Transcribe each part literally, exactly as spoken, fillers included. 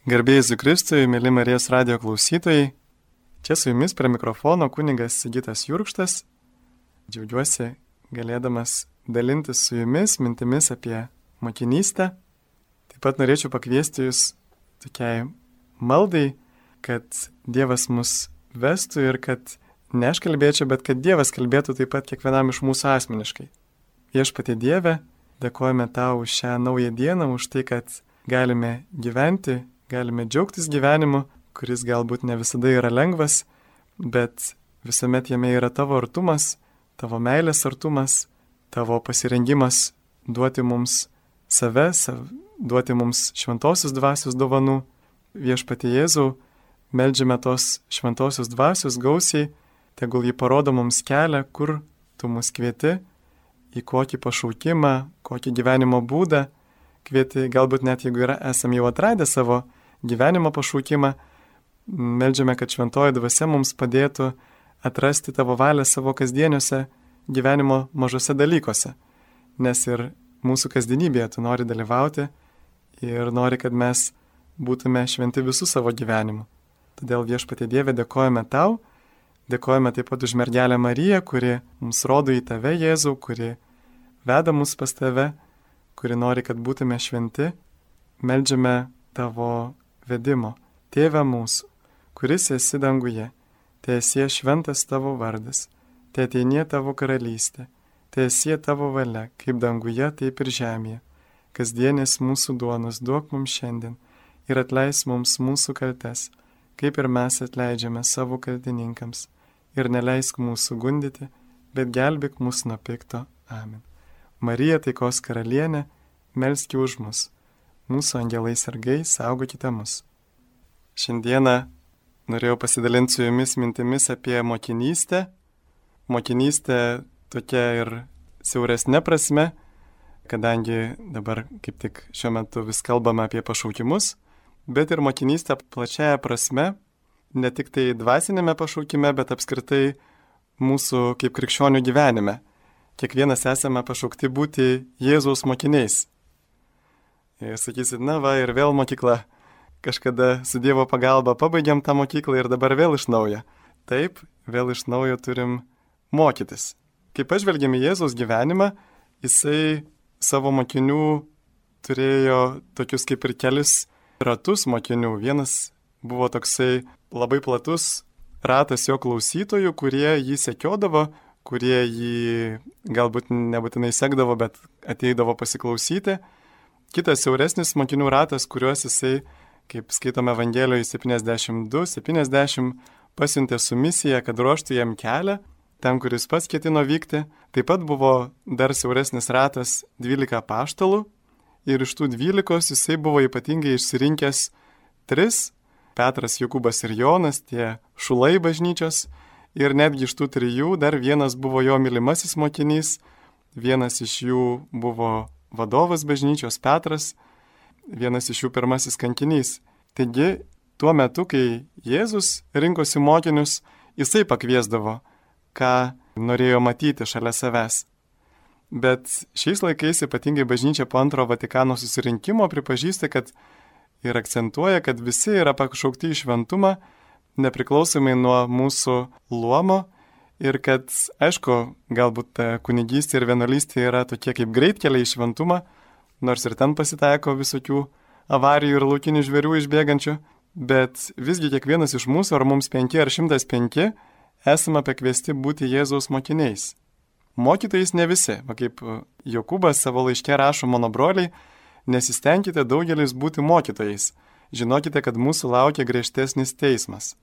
Garbėjai Jėzui Kristui, mėly Marijos radijo klausytojai, čia su jumis prie mikrofono kunigas Sigitas Jurkštas. Džiaugiuosi galėdamas dalintis su jumis mintimis apie motinystę. Taip pat norėčiau pakviesti jūs tokiai maldai, kad Dievas mus vestų ir kad ne aš kalbėčiau, bet kad Dievas kalbėtų taip pat kiekvienam iš mūsų asmeniškai. Viešpatie Dieve, dėkojame tau už šią naują dieną, už tai, kad galime gyventi, galime džiaugtis gyvenimu, kuris galbūt ne visada yra lengvas, bet visuomet jame yra tavo artumas, tavo meilės artumas, tavo pasirengimas duoti mums save, sav, duoti mums šventosios dvasios dovanų. Viešpatie Jėzau, meldžiame tos šventosios dvasios gausiai, tegul jį parodo mums kelią, kur tu mus kvieti, į kokį pašaukimą, kokį gyvenimo būdą kvieti, galbūt net jeigu yra, esam jau atradę savo gyvenimo pašaukimą, meldžiame, kad šventoji dvasia mums padėtų atrasti tavo valią savo kasdieniuose gyvenimo mažose dalykuose, nes ir mūsų kasdienybėje tu nori dalyvauti ir nori, kad mes būtume šventi visų savo gyvenimu. Todėl Viešpatie Dieve dėkojame tau, dėkojame taip pat už mergelę Mariją, kuri mums rodo į tave, Jėzau, kuri veda mus pas tave, kuri nori, kad būtume šventi. Meldžiame tavo vedimo. Tėve mūsų, kuris esi danguje, teesie šventas tavo vardas, teateinie tavo karalystė, teesie tavo valia, kaip danguje, taip ir žemėje. Kasdienės mūsų duonos duok mums šiandien ir atleis mums mūsų kaltes, kaip ir mes atleidžiame savo kaltininkams. Ir neleisk mūsų gundyti, bet gelbėk mus nuo pikto. Amen. Marija, taikos karalienė, melski už mus. Mūsų angelai sargai, saugokite mus. Šiandieną norėjau pasidalinti su jumis mintimis apie motinystę. Motinystė tokia ir siauresnė prasme, kadangi dabar kaip tik šiuo metu vis kalbame apie pašaukimus, bet ir motinystė plačiaja prasme, ne tik tai dvasinėme pašaukime, bet apskritai mūsų kaip krikščionių gyvenime. Kiekvienas esame pašaukti būti Jėzaus mokiniais. Ir sakysit, na va, ir vėl mokykla. Kažkada su Dievo pagalba pabaigiam tą mokyklą ir dabar vėl iš naujo. Taip, vėl iš naujo turim mokytis. Kai pažvelgiam į Jėzaus gyvenimą, jisai savo mokinių turėjo tokius kaip ir kelis ratus mokinių. Vienas buvo toksai labai platus ratas jo klausytojų, kurie jį sekiodavo, kurie jį galbūt nebūtinai sekdavo, bet ateidavo pasiklausyti. Kitas siauresnis mokinių ratas, kuriuos jisai, kaip skaitome Evangelijoje septyniasdešimt du septyniasdešimt, pasiuntė su misija, kad ruoštų jam kelią, ten, kuris pats ketino vykti. Taip pat buvo dar siauresnis ratas dvylika apaštalų ir iš tų dvylikos jisai buvo ypatingai išsirinkęs tris, Petras, Jokūbas ir Jonas, tie šulai bažnyčios, ir netgi iš tų trijų dar vienas buvo jo mylimasis mokinys, vienas iš jų buvo vadovas bažnyčios Petras, vienas iš jų pirmasis kankinys. Taigi, tuo metu, kai Jėzus rinkosi mokinius, jisai pakviesdavo, ką norėjo matyti šalia savęs. Bet šiais laikais ypatingai bažnyčia po antro Vatikano susirinkimo pripažįsta, kad ir akcentuoja, kad visi yra pašaukti į šventumą, nepriklausomai nuo mūsų luomo, ir kad, aišku, galbūt kunigystė ir vienuolystė yra tokie kaip greitkeliai į šventumą, nors ir ten pasitaiko visokių avarijų ir laukinių žvėrių išbėgančių, bet visgi kiekvienas iš mūsų, ar mums penki ar šimtas penki, esame pakviesti būti Jėzaus mokiniais. Mokytojais ne visi, va kaip Jokūbas savo laiške rašo, mano broliai, nesistengkite daugelis būti mokytojais, žinokite, kad mūsų laukia griežtesnis teismas.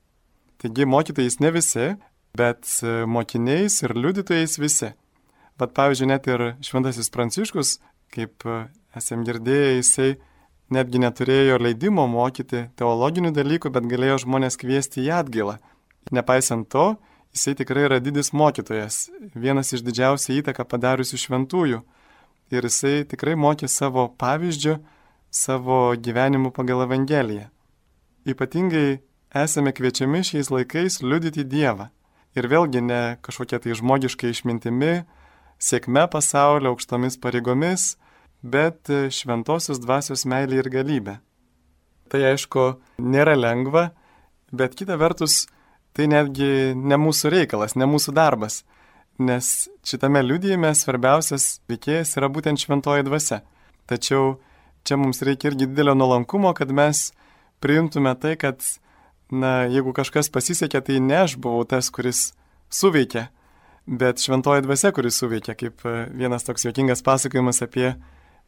Taigi mokytojais ne visi, bet mokiniais ir liudytojais visi. Bet pavyzdžiui, net ir šventasis Pranciškus, kaip esam girdėję, jisai netgi neturėjo leidimo mokyti teologinių dalykų, bet galėjo žmonės kviesti į atgailą. Nepaisant to, jisai tikrai yra didis mokytojas, vienas iš didžiausią įtaką padariusių šventųjų. Ir jisai tikrai mokė savo pavyzdžių, savo gyvenimu pagal Evangeliją. Ypatingai esame kviečiami šiais laikais liudyti Dievą. Ir vėlgi ne kažkokia tai žmogiška išmintimi, sėkme pasaulio, aukštomis pareigomis, bet šventosios dvasios meilė ir galybė. tai aišku nėra lengva, bet kita vertus tai netgi ne mūsų reikalas, ne mūsų darbas, nes šitame liudijime svarbiausias veikėjas yra būtent šventoji dvasia. Tačiau čia mums reikia irgi didelio nuolankumo, kad mes priimtume tai, kad, na, jeigu kažkas pasisekė, tai ne aš buvau tas, kuris suveikė, bet šventoji dvasia, kuris suveikė, kaip vienas toks juokingas pasakojimas apie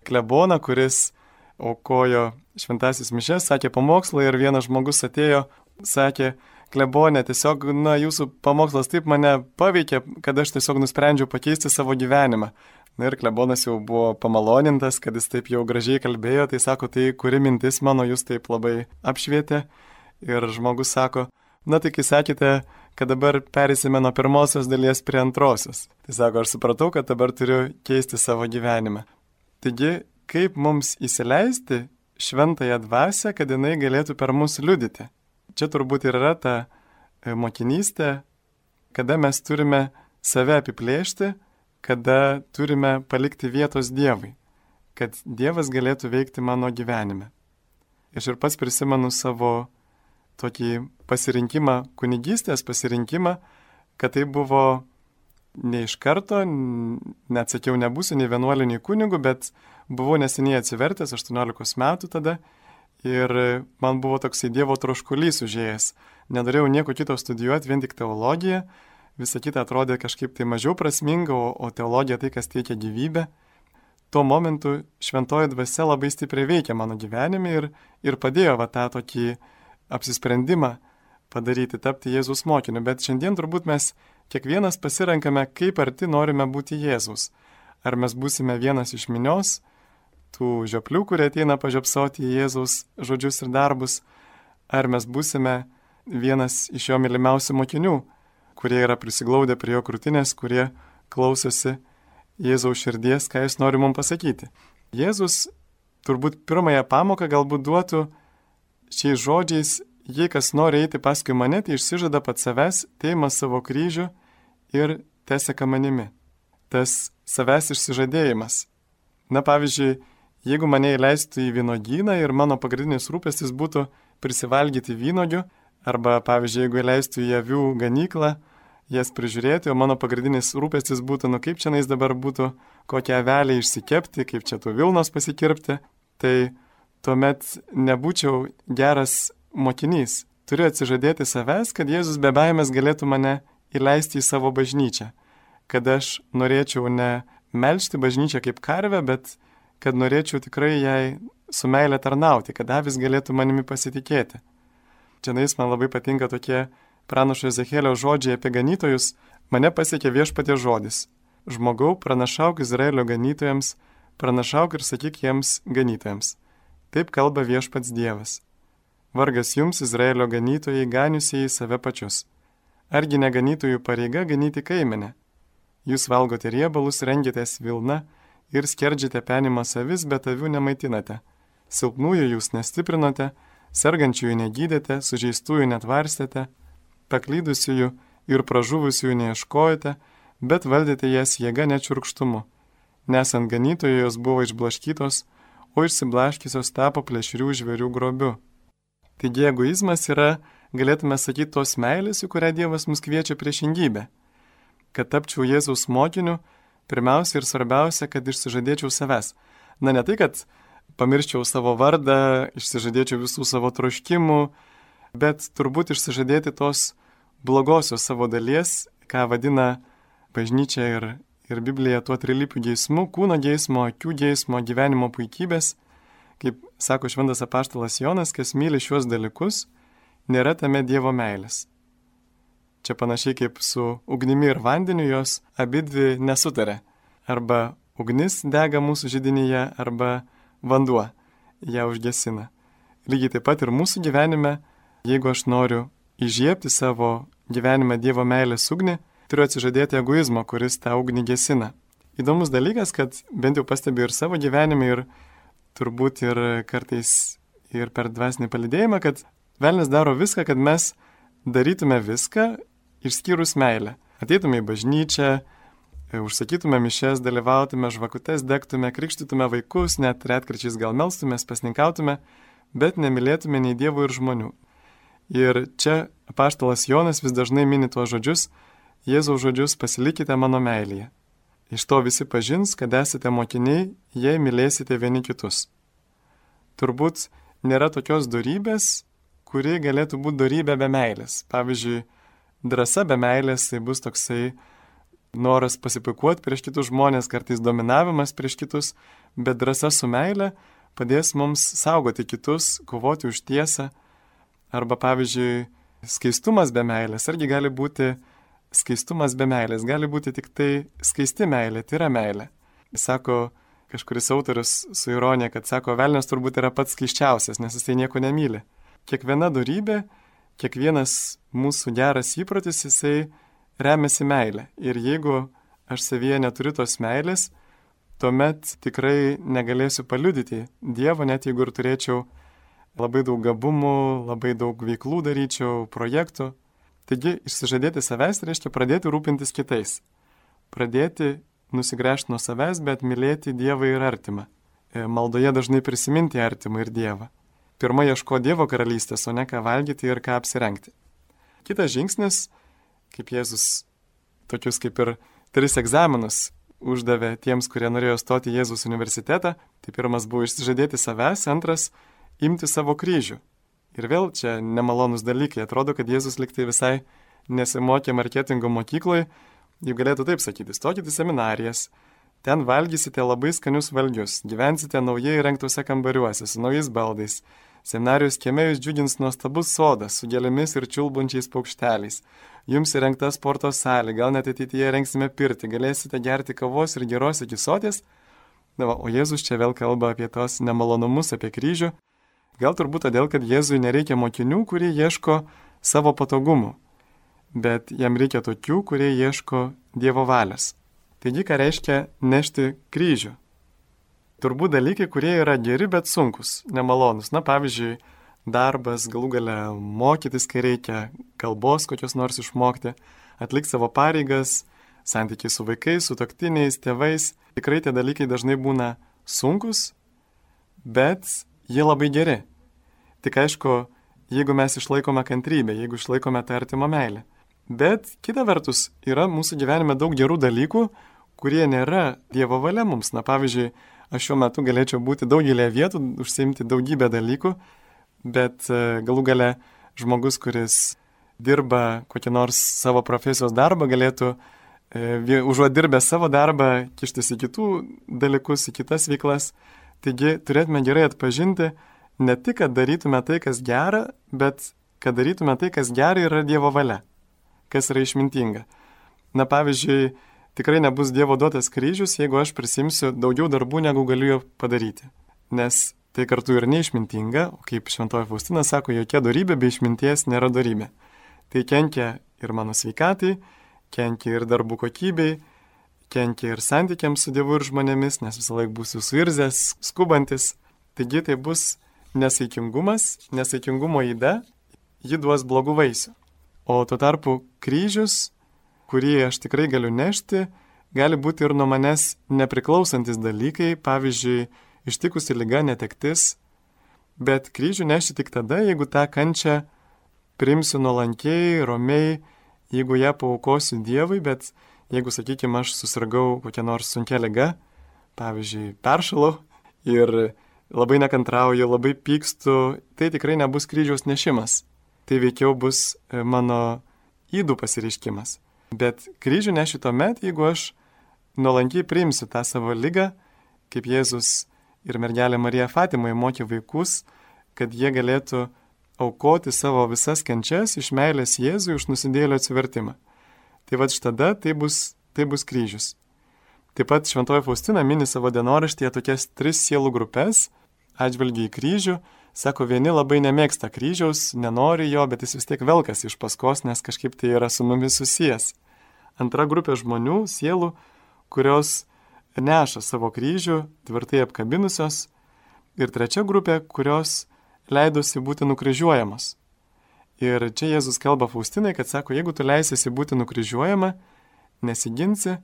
kleboną, kuris aukojo šventasis mišes, sakė pamokslą ir vienas žmogus atėjo, sakė, klebonė, tiesiog, na, jūsų pamokslas taip mane paveikė, kad aš tiesiog nusprendžiau pakeisti savo gyvenimą. Na ir klebonas jau buvo pamalonintas, kad jis taip jau gražiai kalbėjo, tai sako, tai kuri mintis mano jūs taip labai apšvietė. Ir žmogus sako, na tai kai sakėte, kad dabar perėsime nuo pirmosios dalies prie antrosios. Tai sako, aš supratau, kad dabar turiu keisti savo gyvenimą. Taigi, kaip mums įsileisti šventąją dvasią, kad jinai galėtų per mus liudyti? Čia turbūt ir yra ta mokinystė, kada mes turime save apiplėšti, kada turime palikti vietos Dievui, kad Dievas galėtų veikti mano gyvenime. Aš ir pats prisimenu savo tokį pasirinkimą, kunigystės pasirinkimą, kad tai buvo ne iš karto, net sakiau, nebūsiu nei vienuoliu, nei kunigu, bet buvau neseniai atsivertęs, aštuoniolikos metų tada, ir man buvo toksai Dievo troškulys užėjęs. Nenorėjau nieko kito studijuoti, vien tik teologiją, visa kita atrodė kažkaip tai mažiau prasminga, o, o teologija tai, kas teikia gyvybę. Tuo momentu šventoji dvasia labai stipriai veikia mano gyvenime ir, ir padėjo va tą tokį apsisprendimą padaryti, tapti Jėzus mokiniu. Bet šiandien turbūt mes kiekvienas pasirenkame, kaip arti norime būti Jėzus. Ar mes būsime vienas iš minios, tų žioplių, kurie ateina pažiopsoti į Jėzaus žodžius ir darbus, ar mes būsime vienas iš jo mylimiausių mokinių, kurie yra prisiglaudę prie jo krūtinės, kurie klausosi Jėzaus širdies, ką jis nori mums pasakyti. Jėzus turbūt pirmąją pamoką galbūt duotų šiais žodžiais, jei kas nori eiti paskui mane, tai išsižada pats savęs, teima savo kryžių ir teseka manimi. Tas savęs išsižadėjimas. Na pavyzdžiui, jeigu mane įleistų į vynogyną ir mano pagrindinis rūpestis būtų prisivalgyti vynogių, arba, pavyzdžiui, jeigu įleistų į avių ganyklą, jas prižiūrėti, o mano pagrindinis rūpestis būtų, nu kaip čianais dabar būtų kokią avelę išsikepti, kaip čia tų vilnos pasikirpti, tai tuomet nebūčiau geras mokinys. Turiu atsižadėti savęs, kad Jėzus be baimės galėtų mane įleisti į savo bažnyčią, kad aš norėčiau ne melžti bažnyčią kaip karvę, bet kad norėčiau tikrai jai su meilė tarnauti, kad avis galėtų manimi pasitikėti. Čianais man labai patinka tokie pranašo Ezechielio žodžiai apie ganytojus. Mane pasiekė viešpaties žodis. Žmogau, pranašauk Izraelio ganytojams, pranašauk ir sakyk jiems ganytojams. Taip kalba viešpats Dievas. Vargas jums, Izraelio ganytojai, ganiusieji save pačius. Argi ne ganytojų pareiga ganyti kaimenę? Jūs valgote riebalus, rengėtės vilna ir skerdžiate penimą savis, bet avių nemaitinate. Silpnųjų jūs nestiprinote, sergančiųjų negydėte, sužeistųjų netvarstėte, paklydusiųjų ir pražuvusiųjų neieškojate, bet valdėte jas jėga nečiurkštumu. Nesant ganytojų jos buvo išblaškytos, o išsiblaškysios tapo plėšrių žvėrių grobiu. Taigi egoizmas yra, galėtume sakyti, tos meilės, į kurią Dievas mus kviečia priešingybę. Kad tapčiau Jėzaus mokiniu, pirmiausia ir svarbiausia, kad išsižadėčiau savęs. Na ne tai, kad pamirščiau savo vardą, išsižadėčiau visų savo troškimų, bet turbūt išsižadėti tos blogosios savo dalies, ką vadina bažnyčia ir, ir Biblija tuo trilypiu geismu, kūno geismo, akių geismo, gyvenimo puikybės. Kaip sako šventas apaštalas Jonas, kas myli šiuos dalykus, nėra tame Dievo meilės. Čia panašiai kaip su ugnimi ir vandeniu, jos abidvi nesutarė. Arba ugnis dega mūsų židinyje, arba vanduo ją užgesina. Lygiai taip pat ir mūsų gyvenime, jeigu aš noriu įžiebti savo gyvenime Dievo meilės ugnį, turiu atsižadėti egoizmo, kuris tą ugnį gesina. Įdomus dalykas, kad bent jau pastebiu ir savo gyvenime, ir turbūt ir kartais ir per dvasinį palydėjimą, kad velnias daro viską, kad mes darytume viską, išskyrus meilę. Ateitume į bažnyčią, užsakytume mišes, dalyvautume, žvakutes degtume, krikštytume vaikus, net retkarčiais gal melstumės, pasninkautume, bet nemylėtume nei Dievo ir žmonių. Ir čia apaštalas Jonas vis dažnai mini tuos žodžius, Jėzaus žodžius, pasilikite mano meilėje. Iš to visi pažins, kad esate mokiniai, jei mylėsite vieni kitus. Turbūt nėra tokios dorybės, kuri galėtų būti dorybė be meilės. Pavyzdžiui, drąsa be meilės tai bus toksai noras pasipuikuoti prieš kitus žmonės, kartais dominavimas prieš kitus, bet drąsa su meile padės mums saugoti kitus, kovoti už tiesą. Arba, pavyzdžiui, skaistumas be meilės, argi gali būti skaistumas be meilės, gali būti tik tai skaisti meilė, tai yra meilė. Sako kažkuris autorius su ironija, kad sako, velnias turbūt yra pats skaiščiausias, nes jis tai nieko nemyli. Kiekviena dorybė, kiekvienas mūsų geras įprotis, jisai remiasi meilė. Ir jeigu aš savyje neturiu tos meilės, tuomet tikrai negalėsiu paliudyti Dievo, net jeigu ir turėčiau labai daug gabumų, labai daug veiklų daryčiau, projektų. Taigi, išsižadėti savęs reiškia pradėti rūpintis kitais. Pradėti nusigręžti nuo savęs, bet mylėti Dievą ir artimą. Maldoje dažnai prisiminti artimą ir Dievą. Pirma, ieško Dievo karalystės, o ne ką valgyti ir ką apsirengti. Kitas žingsnis, kaip Jėzus tokius kaip ir tris egzaminus uždavė tiems, kurie norėjo stoti į Jėzus universitetą, tai pirmas buvo išsižadėti savęs, antras imti savo kryžių. Ir vėl čia nemalonus dalykai. Atrodo, kad Jėzus liktai visai nesimokė marketingo mokykloje. Jau galėtų taip sakyti, stokite į seminarijas, ten valgysite labai skanius valgius, gyvensite naujai įrengtuose kambariuose su naujais baldais. Seminarijos kieme jūs džiugins nuostabus sodas su gėlėmis ir čiulbančiais paukšteliais. Jums įrengta sporto salė, gal net ateityje rengsime pirtį, galėsite gerti kavos ir geros iki soties. Na, o Jėzus čia vėl kalba apie tos nemalonumus, apie kryžių. Gal turbūt todėl, kad Jėzui nereikia mokinių, kurie ieško savo patogumų, bet jam reikia tokių, kurie ieško Dievo valios. Taigi, ką reiškia nešti kryžių? Turbūt dalykai, kurie yra geri, bet sunkus, nemalonus. Na, pavyzdžiui, darbas, galų gale mokytis, kai reikia, kalbos kokios nors išmokti, atlikti savo pareigas, santykiai su vaikais, su sutuoktiniais, tėvais. Tikrai tie dalykai dažnai būna sunkus, bet jie labai geri. Tik aišku, jeigu mes išlaikome kantrybę, jeigu išlaikome tą artimą meilę. Bet kita vertus, yra mūsų gyvenime daug gerų dalykų, kurie nėra Dievo valia mums. Na, pavyzdžiui, aš šiuo metu galėčiau būti daugelėje vietų, užsiimti daugybę dalykų, bet galų gale žmogus, kuris dirba kokį nors savo profesijos darbą, galėtų e, užuot dirbęs savo darbą, kištis į kitų dalykus, į kitas veiklas. Taigi turėtume gerai atpažinti ne tik, kad darytume tai, kas gera, bet kad darytume tai, kas gera yra Dievo valia, kas yra išmintinga. Na, pavyzdžiui, tikrai nebus Dievo duotas kryžius, jeigu aš prisimsiu daugiau darbų, negu galiu jo padaryti. Nes tai kartu ir neišmintinga, o kaip Šventoji Faustina sako, jokia dorybė be išminties nėra dorybė. Tai kenkia ir mano sveikatai, kenkia ir darbų kokybei, kenkia ir santykiams su Dievu ir žmonėmis, nes visą laiką būsiu suirzęs, skubantis. Taigi tai bus nesaikingumas, nesaikingumo yda, ji duos blogų vaisių. O tuo tarpu kryžius, kurį aš tikrai galiu nešti, gali būti ir nuo manęs nepriklausantis dalykai, pavyzdžiui, ištikusi liga, netektis. Bet kryžių neši tik tada, jeigu tą kančią priimsiu nuolankiai, romiai, jeigu ją paaukosiu Dievui, bet jeigu, sakykime, aš susirgau kokią nors sunkia liga, pavyzdžiui, peršalau ir labai nekantrauju, labai pykstu, tai tikrai nebus kryžiaus nešimas. Tai veikiau bus mano įdų pasireiškimas. Bet kryžių nešiu tuomet, jeigu aš nuolankiai priimsiu tą savo ligą, kaip Jėzus ir mergelė Marija Fatimoje mokė vaikus, kad jie galėtų aukoti savo visas kančias iš meilės Jėzui už nusidėjėlio atsivertimą. Tai vad štada tai bus, tai bus kryžius. Taip pat Šventoji Faustina mini savo dienoraštyje tokias tris sielų grupės atžvilgiu į kryžių. Sako, vieni labai nemėgsta kryžiaus, nenori jo, bet jis vis tiek velkas iš paskos, nes kažkaip tai yra su mumis susijęs. Antra grupė žmonių, sielų, kurios neša savo kryžių, tvirtai apkabinusios. Ir trečia grupė, kurios leidosi būti nukryžiuojamos. Ir čia Jėzus kalba Faustinai, kad sako, jeigu tu leisiesi būti nukryžiuojama, nesiginsi,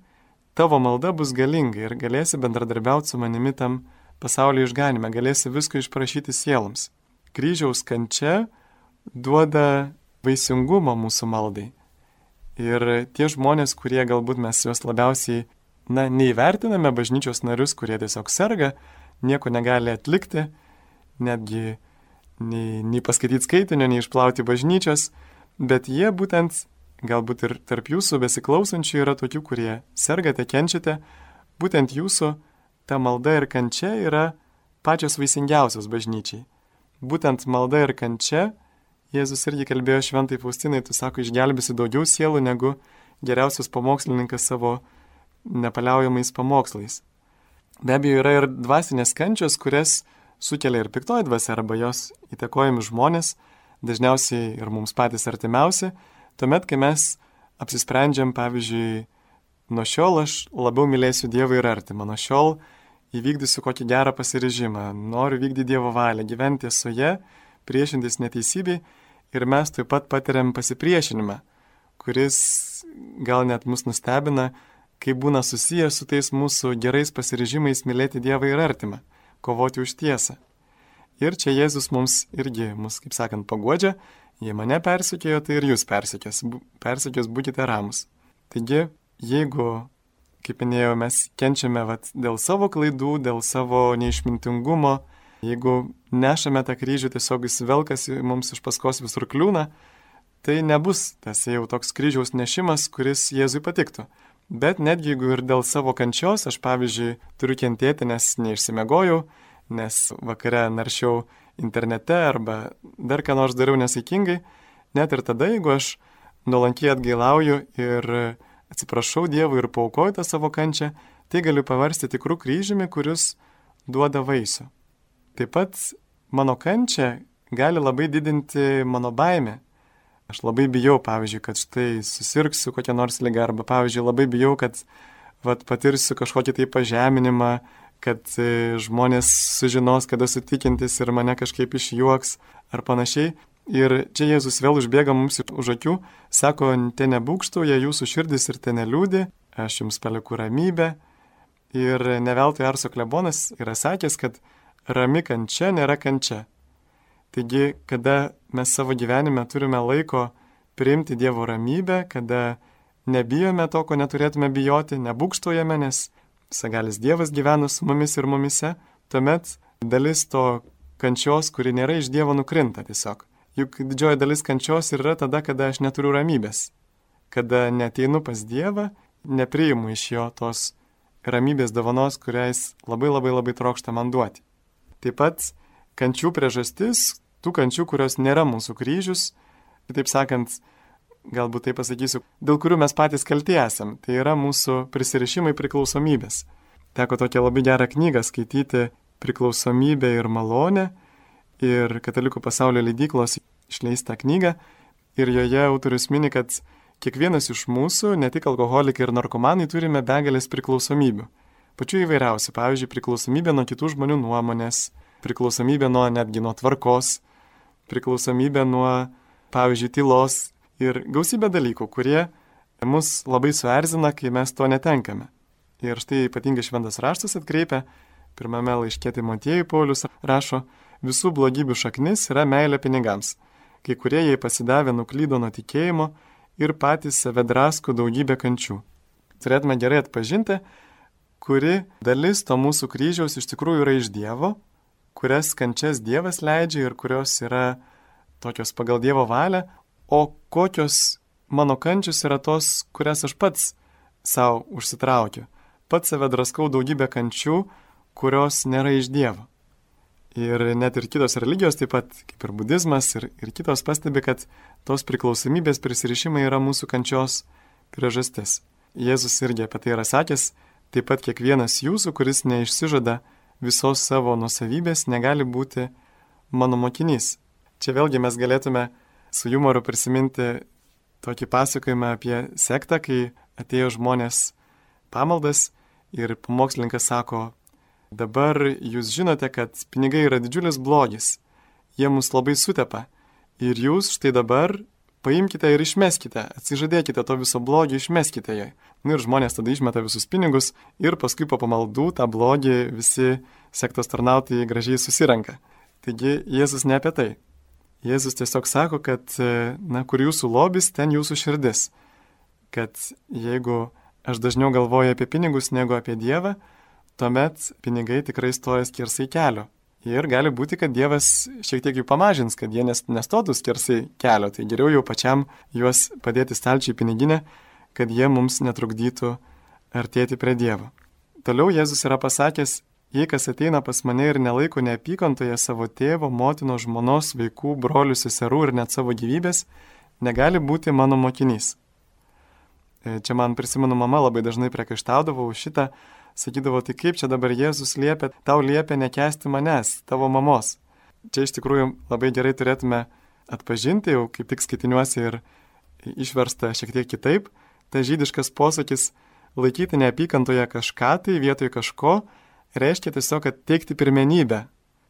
tavo malda bus galinga ir galėsi bendradarbiauti su manimi tam pasaulio išganime, galėsi visko išprašyti sieloms. kryžiaus kančia duoda vaisingumo mūsų maldai. Ir tie žmonės, kurie galbūt mes juos labiausiai, na, neįvertiname, bažnyčios narius, kurie tiesiog serga, nieko negali atlikti, netgi nei, nei paskaityti skaitinio, nei išplauti bažnyčios, bet jie būtent, galbūt ir tarp jūsų besiklausančių yra tokių, kurie sergate, kenčiate, būtent jūsų ta malda ir kančia yra pačios vaisingiausios bažnyčiai. Būtent malda ir kančia, Jėzus irgi kalbėjo šventai Faustinai, tu sako, išgelbėsi daugiau sielų negu geriausias pamokslininkas savo nepaliaujamais pamokslais. Be abejo, yra ir dvasinės kančios, kurias sukelia ir piktoji dvasia arba jos įtakojami žmonės, dažniausiai ir mums patys artimiausi, tuomet, kai mes apsisprendžiam, pavyzdžiui, nuo šiol aš labiau mylėsiu Dievą ir artimą, nuo šiol įvykdysiu kokį gerą pasiryžimą, noriu vykdyti Dievo valią, gyventi tiesoje, priešintis neteisybei ir mes taip pat patiriam pasipriešinimą, kuris gal net mus nustebina, kai būna susijęs su tais mūsų gerais pasiryžimais mylėti Dievą ir artimą, kovoti už tiesą. Ir čia Jėzus mums irgi, mus, kaip sakant, paguodžia, jei mane persekiojo, tai ir jūs persekios, persekios būkite ramus. Taigi, jeigu, kaip minėjau, mes kenčiame vat, dėl savo klaidų, dėl savo neišmintingumo, jeigu nešame tą kryžių, tiesiog jis velkasi mums iš paskos visur kliūna, tai nebus tas jau toks kryžiaus nešimas, kuris Jėzui patiktų. Bet netgi jeigu ir dėl savo kančios, aš pavyzdžiui turiu kentėti, nes neišsimegojau, nes vakare naršiau internete arba dar ką nors dariau nesaikingai, net ir tada, jeigu aš nuolankiai atgailauju ir atsiprašau Dievui ir paaukoju tą savo kančią, tai galiu paversti tikrų kryžiumi, kuris duoda vaisių. Taip pat mano kančia gali labai didinti mano baimę. Aš labai bijau, pavyzdžiui, kad štai susirgsiu kokią nors ligą, arba, pavyzdžiui, labai bijau, kad vat, patirsiu kažkokį tai pažeminimą, kad žmonės sužinos, kad esu tikintis ir mane kažkaip išjuoks ar panašiai. Ir čia Jėzus vėl užbėga mums už akių, sako, te nebūkštauja jūsų širdis ir te neliūdi, aš jums palieku ramybę. Ir ne veltui Arso klebonas yra sakęs, kad rami kančia nėra kančia. Taigi, kada mes savo gyvenime turime laiko priimti Dievo ramybę, kada nebijome to, ko neturėtume bijoti, nebūkštojame, nes visagalis Dievas gyvena su mumis ir mumise, tuomet dalis to kančios, kuri nėra iš Dievo, nukrinta tiesiog. Juk didžioji dalis kančios yra tada, kada aš neturiu ramybės, kada neteinu pas Dievą, nepriimu iš jo tos ramybės dovanos, kuriais labai labai labai trokšta man duoti. Taip pat kančių priežastis, tų kančių, kurios nėra mūsų kryžius, taip sakant, galbūt tai pasakysiu, dėl kurių mes patys kalti esam, tai yra mūsų prisirišimai priklausomybės. Teko tokią labai gerą knygą skaityti Priklausomybė ir malonė ir Katalikų pasaulio leidyklos išleistą knygą ir joje autorius mini, kad kiekvienas iš mūsų, ne tik alkoholikai ir narkomanai, turime begalės priklausomybių. Pačių įvairiausių, pavyzdžiui, priklausomybė nuo kitų žmonių nuomonės, priklausomybė nuo netgi nuo tvarkos, priklausomybė nuo, pavyzdžiui, tylos ir gausybė dalykų, kurie mus labai suerzina, kai mes to netenkame. Ir štai ypatingai Šventas raštas atkreipia, pirmame laiške Timotiejui Paulius rašo, visų blogybių šaknis yra meilė pinigams. Kai kurie jai pasidavę nuklydo nuo tikėjimo ir patys save drasko daugybę kančių. Turėtume gerai atpažinti, kuri dalis to mūsų kryžiaus iš tikrųjų yra iš Dievo, kurias kančias Dievas leidžia ir kurios yra tokios pagal Dievo valią, o kokios mano kančios yra tos, kurias aš pats savo užsitraukiu. Pats save draskau daugybę kančių, kurios nėra iš Dievo. Ir net ir kitos religijos, taip pat kaip ir budizmas ir, ir kitos pastebi, kad tos priklausomybės prisirišimai yra mūsų kančios priežastis. Jėzus irgi apie tai yra sakęs, taip pat kiekvienas jūsų, kuris neišsižada visos savo nusavybės, negali būti mano mokinys. Čia vėlgi mes galėtume su jumoru prisiminti tokį pasakojimą apie sektą, kai atėjo žmonės pamaldas ir pamokslininkas sako, dabar jūs žinote, kad pinigai yra didžiulis blogis, jie mus labai sutepa ir jūs štai dabar paimkite ir išmeskite, atsižadėkite to viso blogio, išmeskite jai. Nu ir žmonės tada išmeta visus pinigus ir paskui po pamaldų tą blogį visi sektos tarnautojai gražiai susirenka. Taigi Jėzus ne apie tai. Jėzus tiesiog sako, kad, na, kur jūsų lobis, ten jūsų širdis. Kad jeigu aš dažniau galvoju apie pinigus negu apie Dievą, tuomet pinigai tikrai stoja skersai kelio. Ir gali būti, kad Dievas šiek tiek jų pamažins, kad jie nestotų skersai kelio. Tai geriau jau pačiam juos padėti stalčiai piniginę, kad jie mums netrukdytų artėti prie Dievo. Toliau Jėzus yra pasakęs, jei kas ateina pas mane ir nelaiko neapykantoje savo tėvo, motinos, žmonos, vaikų, brolių, seserų ir net savo gyvybės, negali būti mano mokinys. Čia man prisimenu, mama labai dažnai priekaištaudavo už šitą, sakydavo, tai kaip čia dabar Jėzus liepia, tau liepia nekęsti manęs, tavo mamos. Čia iš tikrųjų labai gerai turėtume atpažinti, jau kaip tik skaitiniuosi ir išversta šiek tiek kitaip, ta žydiškas posakis laikyti neapykantoje kažką tai vietoj kažko, reiškia tiesiog, kad teikti pirmenybę.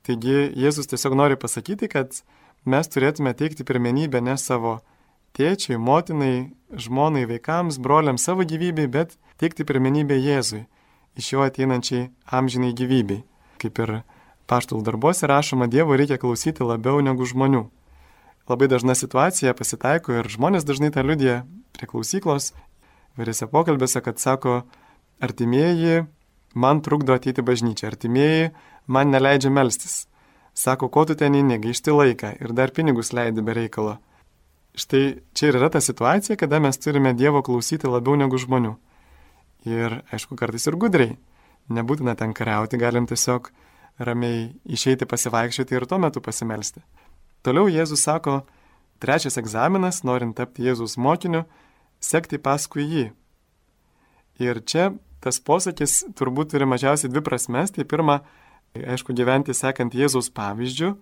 Taigi Jėzus tiesiog nori pasakyti, kad mes turėtume teikti pirmenybę ne savo tėčiai, motinai, žmonai, vaikams, broliams, savo gyvybei, bet teikti pirmenybę Jėzui, iš jo ateinančiai amžinai gyvybei. Kaip ir Apaštalų darbuose rašoma, Dievo reikia klausyti labiau negu žmonių. Labai dažna situacija pasitaiko ir žmonės dažnai tą liudija prie klausyklos, vairiose pokalbėse, kad sako, artimieji man trukdo ateiti bažnyčią, artimieji man neleidžia melstis. Sako, ko tu ten eini, gaišti laiką ir dar pinigus leidi be reikalo. Štai čia ir yra ta situacija, kada mes turime Dievo klausyti labiau negu žmonių. Ir, aišku, kartais ir gudriai. Nebūtina ten kariauti, galim tiesiog ramiai išeiti pasivaikščioti ir tuo metu pasimelsti. Toliau Jėzus sako, trečias egzaminas, norint tapti Jėzaus mokiniu, sekti paskui jį. Ir čia tas posakis turbūt turi mažiausiai dvi prasmes. Tai pirma, aišku, gyventi sekant Jėzaus pavyzdžiu,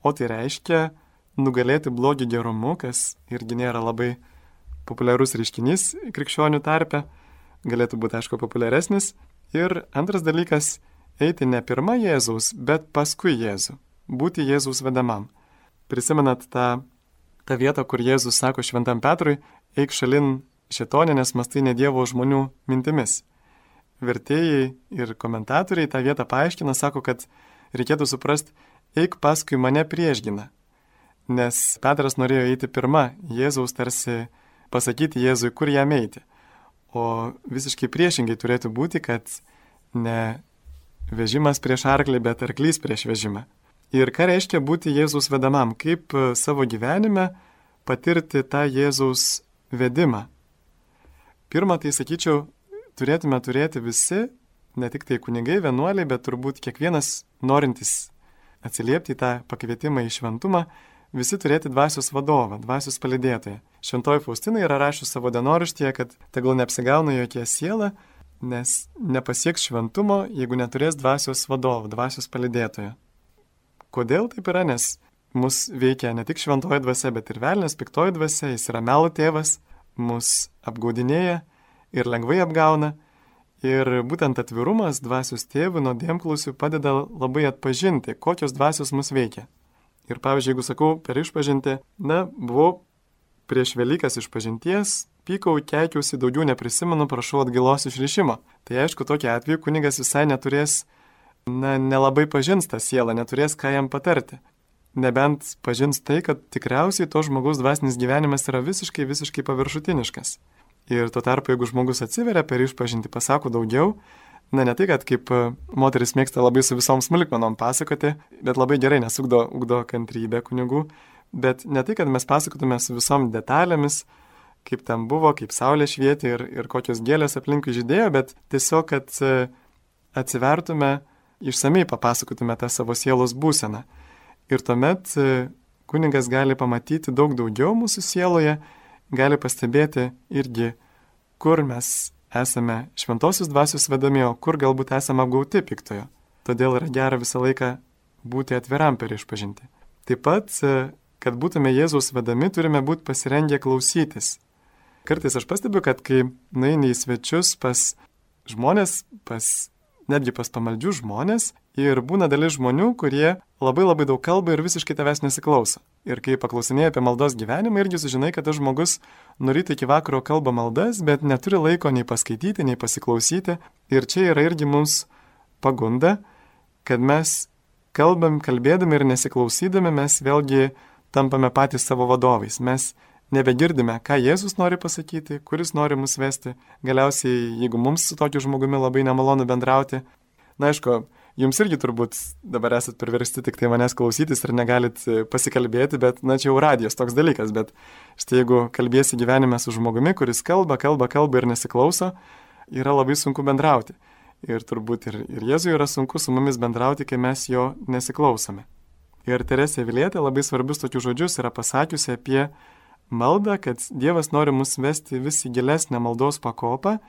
o tai reiškia nugalėti blogį gerumu, kas irgi nėra labai populiarus reiškinys krikščionių tarpe, galėtų būti, aišku, populiaresnis. Ir antras dalykas, eiti ne pirma Jėzaus, bet paskui Jėzų, būti Jėzaus vedamam. Prisimenat tą, tą vietą, kur Jėzus sako šventam Petrui, eik šalin šėtonė, nes mąstai ne Dievo žmonių mintimis. Vertėjai ir komentatoriai tą vietą paaiškina, sako, kad reikėtų suprasti, eik paskui mane priešgina. Nes Petras norėjo eiti pirma, Jėzaus tarsi pasakyti Jėzui, kur jam eiti. O visiškai priešingai turėtų būti, kad ne vežimas prieš arklį, bet arklys prieš vežimą. Ir ką reiškia būti Jėzaus vedamam, kaip savo gyvenime patirti tą Jėzaus vedimą. Pirma, tai sakyčiau, turėtume turėti visi, ne tik tai kunigai, vienuoliai, bet turbūt kiekvienas norintis atsiliepti į tą pakvietimą į šventumą, visi turėti dvasios vadovą, dvasios palydėtoją. Šventoji Faustina yra rašius savo dienoraštyje, kad tegul neapsigauna jokia siela, nes nepasieks šventumo, jeigu neturės dvasios vadovo, dvasios palydėtojo. Kodėl taip yra? Nes mus veikia ne tik šventoji dvasia, bet ir velnias, piktoji dvasia, jis yra melo tėvas, mus apgaudinėja ir lengvai apgauna. Ir būtent atvirumas dvasios tėvų nuodėmklausių padeda labai atpažinti, kokios dvasios mus veikia. Ir pavyzdžiui, jeigu sakau per išpažintį, na, buvau prieš Velykas išpažinties, pykau, keikiausi, daugiau neprisimenu, prašau atgailos išrišimo. Tai aišku, tokia atveju kunigas visai neturės, na, nelabai pažins tą sielą, neturės ką jam patarti. Nebent pažins tai, kad tikriausiai to žmogaus dvasinis gyvenimas yra visiškai, visiškai paviršutiniškas. Ir tuo tarpu, jeigu žmogus atsiveria per išpažintį, pasako daugiau, na, ne tai, kad kaip moteris mėgsta labai su visom smulkmenom pasakoti, bet labai gerai nesugdo ugdo kantrybę kunigų, bet ne tai, kad mes pasakotume su visom detalėmis, kaip ten buvo, kaip saulė švietė ir, ir kokios gėlės aplinkui žydėjo, bet tiesiog, kad atsivertume, išsamei papasakotume tą savo sielos būseną. Ir tuomet kunigas gali pamatyti daug daugiau mūsų sieloje, gali pastebėti irgi, kur mes esame šventosios dvasios vedami, o kur galbūt esame apgauti piktojo. Todėl yra gera visą laiką būti atviram per išpažintį. Taip pat, kad būtume Jėzaus vedami, turime būti pasirengę klausytis. Kartais aš pastebiu, kad kai nueini į svečius pas žmonės, pas, netgi pas pamaldžių žmonės, ir būna dalis žmonių, kurie labai labai daug kalba ir visiškai tavęs nesiklauso. Ir kai paklausinėjai apie maldos gyvenimą, irgi sužinai, kad tas žmogus nuo ryto iki vakaro kalba maldas, bet neturi laiko nei paskaityti, nei pasiklausyti. Ir čia yra irgi mums pagunda, kad mes kalbam, kalbėdami ir nesiklausydami mes vėlgi tampame patys savo vadovais. Mes nebegirdime, ką Jėzus nori pasakyti, kuris nori mus vesti. Galiausiai, jeigu mums su tokiu žmogumi labai nemalonu bendrauti, na aišku, jums irgi turbūt dabar esat priversti tik tai manęs klausytis ir negalit pasikalbėti, bet, na, čia jau radijos toks dalykas, bet štai jeigu kalbėsi gyvenime su žmogumi, kuris kalba, kalba, kalba ir nesiklauso, yra labai sunku bendrauti. Ir turbūt ir, ir Jėzui yra sunku su mumis bendrauti, kai mes jo nesiklausome. Ir Teresė Avilietė labai svarbius tokius žodžius yra pasakiusi apie maldą, kad Dievas nori mus vesti vis į gilesnę maldos pakopą,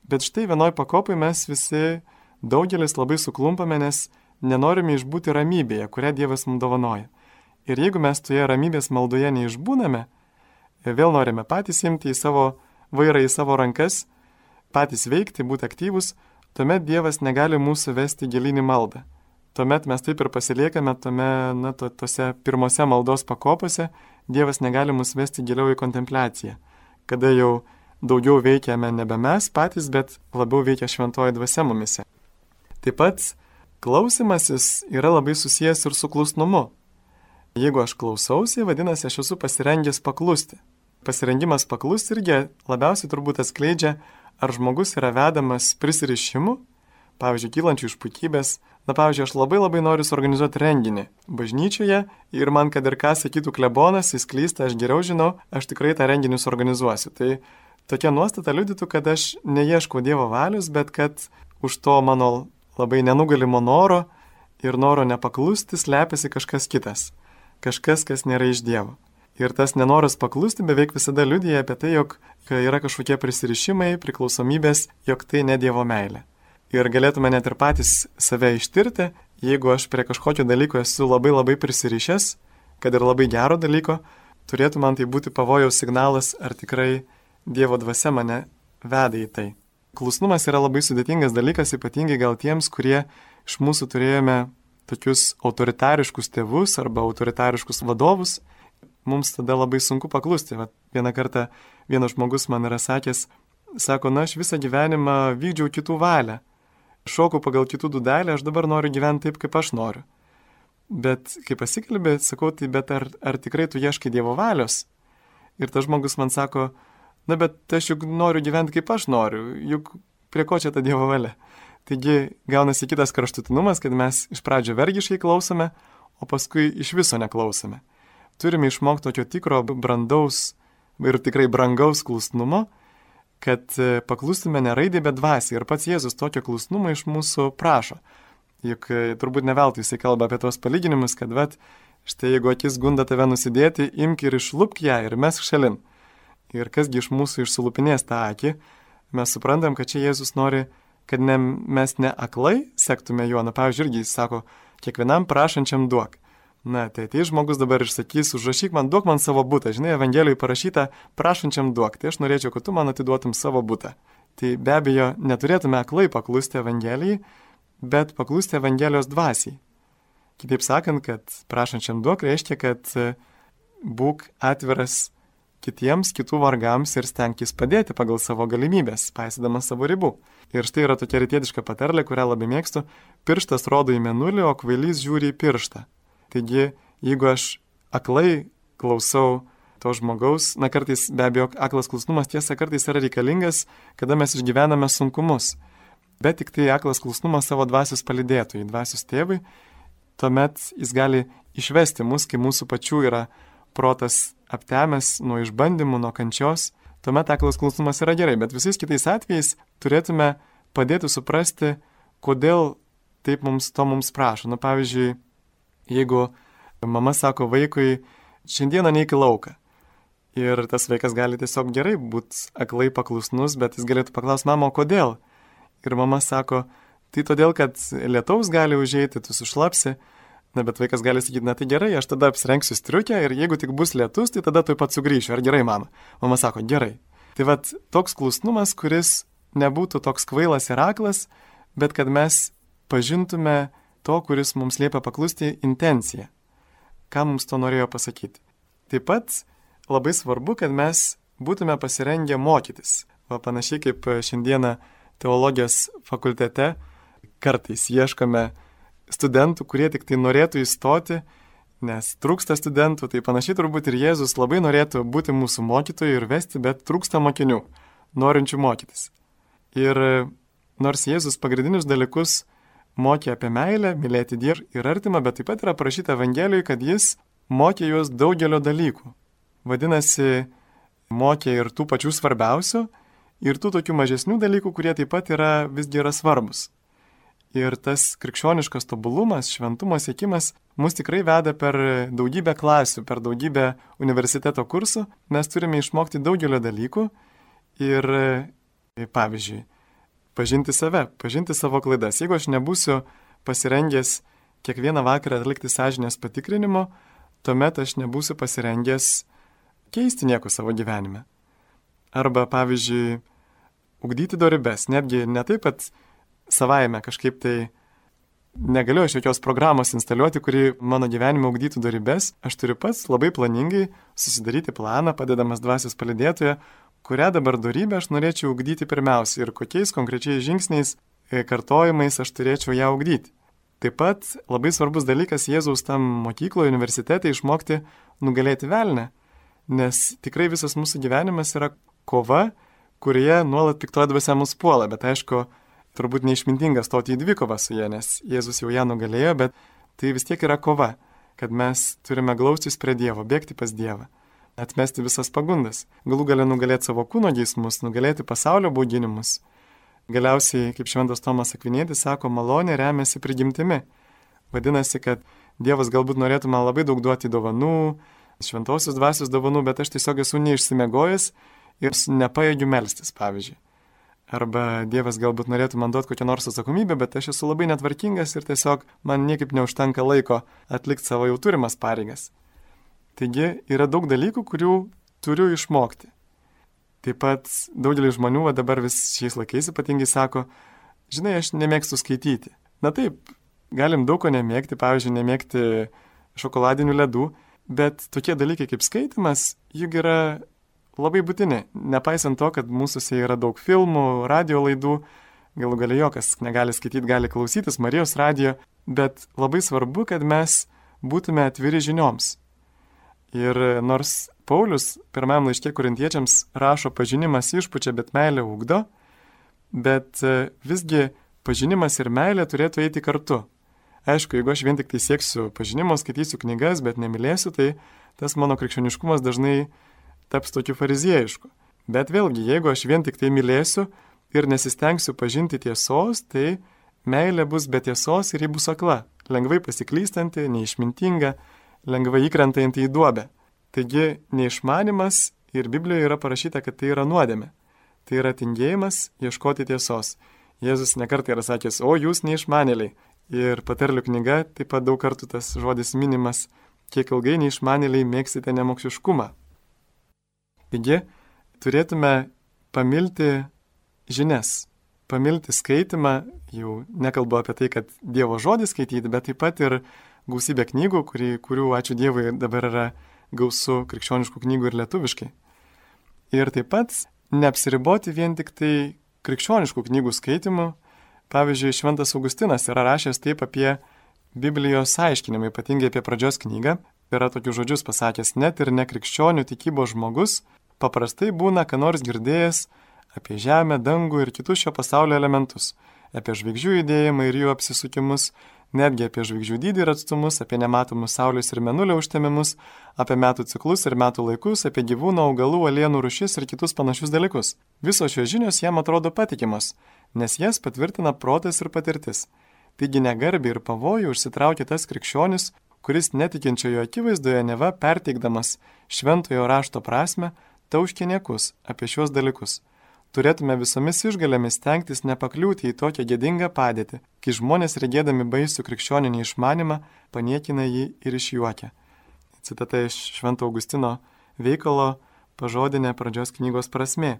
bet štai vienoj pakopai mes visi daugelis labai suklumpame, nes nenorime išbūti ramybėje, kurią Dievas mums dovanoja. Ir jeigu mes toje ramybės maldoje neišbūname, vėl norime patys imti į savo vairą, į savo rankas, patys veikti, būti aktyvus, tuomet Dievas negali mūsų vesti gilyn į maldą. Tuomet mes taip ir pasiliekame tome, na, to, tose pirmose maldos pakopose, Dievas negali mus vesti giliau į kontempliaciją, kada jau daugiau veikiame nebe mes patys, bet labiau veikia šventoji dvasia mumise. Taip pat klausimasis yra labai susijęs ir su klusnumu. Jeigu aš klausausi, vadinasi, aš esu pasirengęs paklusti. Pasirengimas paklusti irgi labiausiai turbūt atskleidžia, ar žmogus yra vedamas prisirišimu, pavyzdžiui, kylančių iš puikybės. Na, pavyzdžiui, aš labai labai noriu suorganizuoti renginį bažnyčioje ir man, kad ir ką sakytų klebonas, jis klysta, aš geriau žinau, aš tikrai tą renginį suorganizuosiu. Tai tokia nuostata liudytų, kad aš neieškau Dievo valios, bet kad už to mano labai nenugalimo noro ir noro nepaklusti slepiasi kažkas kitas. Kažkas, kas nėra iš Dievo. Ir tas nenoras paklusti beveik visada liudija apie tai, jog yra kažkokie prisirišimai, priklausomybės, jog tai ne Dievo meilė. Ir galėtume net ir patys save ištirti, jeigu aš prie kažkokio dalyko esu labai labai prisirišęs, kad ir labai gero dalyko, turėtų man tai būti pavojaus signalas, ar tikrai Dievo dvasia mane veda į tai. Klusnumas yra labai sudėtingas dalykas, ypatingai gal tiems, kurie iš mūsų turėjome tokius autoritariškus tėvus arba autoritariškus vadovus, mums tada labai sunku paklusti. Vat vieną kartą vienas žmogus man yra sakęs, sako, na, aš visą gyvenimą vykdžiau kitų valią, šokau pagal kitų dūdelę, aš dabar noriu gyventi taip, kaip aš noriu. Bet kai pasikalbė, sakau, tai bet ar, ar tikrai tu ieškai Dievo valios? Ir tas žmogus man sako, na, bet aš juk noriu gyventi, kaip aš noriu, juk prie ko čia ta Dievo valia? Taigi gaunasi kitas kraštutinumas, kad mes iš pradžio vergiškai klausome, o paskui iš viso neklausome. Turime išmokti tokio tikro brandaus ir tikrai brangaus klusnumo, kad paklustume ne raidai, bet dvasiai. Ir pats Jėzus tokio klusnumo iš mūsų prašo. Juk turbūt ne veltui jisai kalba apie tos palyginimus, kad vat, štai jeigu akis gunda tave nusidėti, imk ir išlupk ją ir mesk šalin. Ir kasgi iš mūsų išsulupinės tą akį, mes suprantam, kad čia Jėzus nori, kad ne, mes ne aklai sektume juo. Na, pavyzdžiui, irgi jis sako, kiekvienam prašančiam duok. Na, tai tai žmogus dabar išsakys, užrašyk man, duok man savo butą. Žinai, Evangelijoje parašyta, prašančiam duok. Tai aš norėčiau, kad tu man atiduotum savo butą. Tai be abejo, neturėtume aklai paklusti Evangelijai, bet paklusti Evangelijos dvasiai. Kitaip sakant, kad prašančiam duok reiškia, kad būk atviras kitiems, kitų vargams ir stenkis padėti pagal savo galimybės, paisydamas savo ribų. Ir štai yra tokia rytietiška patarlė, kurią labai mėgstu. Pirštas rodo į mėnulį, o kvailys žiūri į pirštą. Taigi, jeigu aš aklai klausau to žmogaus, na kartais be abejo aklas klusnumas tiesa kartais yra reikalingas, kada mes išgyvename sunkumus. Bet tik tai aklas klusnumas savo dvasios palydėtojai, dvasios tėvui, tuomet jis gali išvesti mus, kai mūsų pačių yra protas aptemęs nuo išbandymų, nuo kančios, tuomet aklas klusnumas yra gerai, bet visais kitais atvejais turėtume padėti suprasti, kodėl taip mums to mums prašo. Na, pavyzdžiui, jeigu mama sako vaikui, šiandieną neik į lauką. Ir tas vaikas gali tiesiog gerai būti aklai paklusnus, bet jis galėtų paklausti, mama, kodėl? Ir mama sako, tai todėl, kad lietaus gali užeiti, tu sušlapsi. Na, bet vaikas gali sakyti, na tai gerai, aš tada apsirengsiu striukę ir jeigu tik bus lietus, tai tada tuoj pat sugrįšiu. Ar gerai, mama? Mama sako, gerai. Tai vat toks klusnumas, kuris nebūtų toks kvailas ir aklas, bet kad mes pažintume to, kuris mums liepia paklusti, intenciją. Ką mums to norėjo pasakyti. Taip pat labai svarbu, kad mes būtume pasirengę mokytis. O panašiai kaip šiandieną teologijos fakultete kartais ieškome studentų, kurie tik tai norėtų įstoti, nes trūksta studentų, tai panašiai turbūt ir Jėzus labai norėtų būti mūsų mokytoju ir vesti, bet trūksta mokinių, norinčių mokytis. Ir nors Jėzus pagrindinius dalykus mokė apie meilę, mylėti Dievą ir artimą, bet taip pat yra parašyta Evangelijoje, kad jis mokė juos daugelio dalykų. Vadinasi, mokė ir tų pačių svarbiausių, ir tų tokių mažesnių dalykų, kurie taip pat yra visgi yra svarbus. Ir tas krikščioniškas tobulumas, šventumo siekimas mus tikrai veda per daugybę klasių, per daugybę universiteto kursų. Mes turime išmokti daugelio dalykų ir, pavyzdžiui, pažinti save, pažinti savo klaidas. Jeigu aš nebūsiu pasirengęs kiekvieną vakarą atlikti sąžinės patikrinimo, tuomet aš nebūsiu pasirengęs keisti nieko savo gyvenime. Arba, pavyzdžiui, ugdyti dorybes. Netgi ne taip, kad savaime kažkaip tai negaliu aš jokios programos instaliuoti, kuri mano gyvenime ugdytų dorybes. Aš turiu pats labai planingai susidaryti planą, padedamas dvasios palydėtoje, kurią dabar dorybę aš norėčiau ugdyti pirmiausia ir kokiais konkrečiais žingsniais, kartojimais aš turėčiau ją ugdyti. Taip pat labai svarbus dalykas Jėzaus tam mokykloje, universitete išmokti nugalėti velnę, nes tikrai visas mūsų gyvenimas yra kova, kurioje nuolat piktoji dvasia mus puola, bet aišku, turbūt neišmintinga stoti į dvikovą su ja, nes Jėzus jau ją nugalėjo, bet tai vis tiek yra kova, kad mes turime glaustis prie Dievo, bėgti pas Dievą. Atmesti visas pagundas, galų galę nugalėti savo kūno geismus, nugalėti pasaulio bauginimus. Galiausiai, kaip šventas Tomas Akvinietis sako, malonė remiasi prigimtimi. Vadinasi, kad Dievas galbūt norėtų man labai daug duoti dovanų, šventosios dvasios dovanų, bet aš tiesiog esu neišsimiegojęs ir nepajėgiu melstis, pavyzdžiui. Arba Dievas galbūt norėtų man duoti kokią nors atsakomybę, bet aš esu labai netvarkingas ir tiesiog man niekaip neužtenka laiko atlikti savo jau turimas pareigas. Taigi yra daug dalykų, kurių turiu išmokti. Taip pat daugelis žmonių va dabar vis šiais laikais ypatingai sako, žinai, aš nemėgstu skaityti. Na taip, galim daug ko nemėgti, pavyzdžiui, nemėgti šokoladinių ledų, bet tokie dalykai kaip skaitimas, juk yra labai būtini. Nepaisant to, kad mūsųse yra daug filmų, radio laidų, galų gale jo, kas negali skaityti, gali klausytis Marijos radijo, bet labai svarbu, kad mes būtume atviri žinioms. Ir nors Paulius pirmam laiške korintiečiams rašo pažinimas išpučia, bet meilė ugdo, bet visgi pažinimas ir meilė turėtų eiti kartu. Aišku, jeigu aš vien tik tai sieksiu pažinimo, skaitysiu knygas, bet nemylėsiu, tai tas mano krikščioniškumas dažnai taps tokiu fariziejišku. Bet vėlgi, jeigu aš vien tik tai mylėsiu ir nesistengsiu pažinti tiesos, tai meilė bus be tiesos ir ji bus akla, lengvai pasiklystanti, neišmintinga, lengvai įkrentanti į duobę. Taigi neišmanimas ir Biblijoje yra parašyta, kad tai yra nuodėmė. Tai yra tingėjimas ieškoti tiesos. Jėzus nekartą yra sakęs, o jūs neišmanėliai. Ir patarlių knyga taip pat daug kartų tas žodis minimas, kiek ilgai neišmanėliai mėgsite nemokšiškumą. Taigi turėtume pamilti žinias, pamilti skaitimą, jau nekalbu apie tai, kad Dievo žodį skaityti, bet taip pat ir gausybę knygų, kuri, kurių, ačiū Dievui, dabar yra gausu krikščioniškų knygų ir lietuviškai. Ir taip pat neapsiriboti vien tik tai krikščioniškų knygų skaitimu. Pavyzdžiui, Šventas Augustinas yra rašęs taip apie Biblijos aiškinimą, ypatingai apie pradžios knygą. Yra tokius žodžius pasakęs, net ir nekrikščionių tikybos žmogus paprastai būna, ką nors girdėjęs apie žemę, dangų ir kitus šio pasaulio elementus, apie žvaigždžių judėjimą ir jų apsisukimus, netgi apie žvaigždžių dydį ir atstumus, apie nematomus saulės ir mėnulio užtemimus, apie metų ciklus ir metų laikus, apie gyvūnų, augalų, alienų rūšis ir kitus panašius dalykus. Visos šios žinios jam atrodo patikimos, nes jas patvirtina protas ir patirtis. Taigi negarbiai ir pavojų užsitraukia tas krikščionis, kuris netikinčiojo akivaizdoje neva perteikdamas šventojo rašto prasme, tauškė niekus apie šios dalykus. Turėtume visomis išgalėmis stengtis nepakliūti į tokią gėdingą padėtį, kai žmonės regėdami baisų krikščioninį išmanimą paniekina jį ir išjuokia. Citata iš Švento Augustino veikalo pažodinė pradžios knygos prasmė.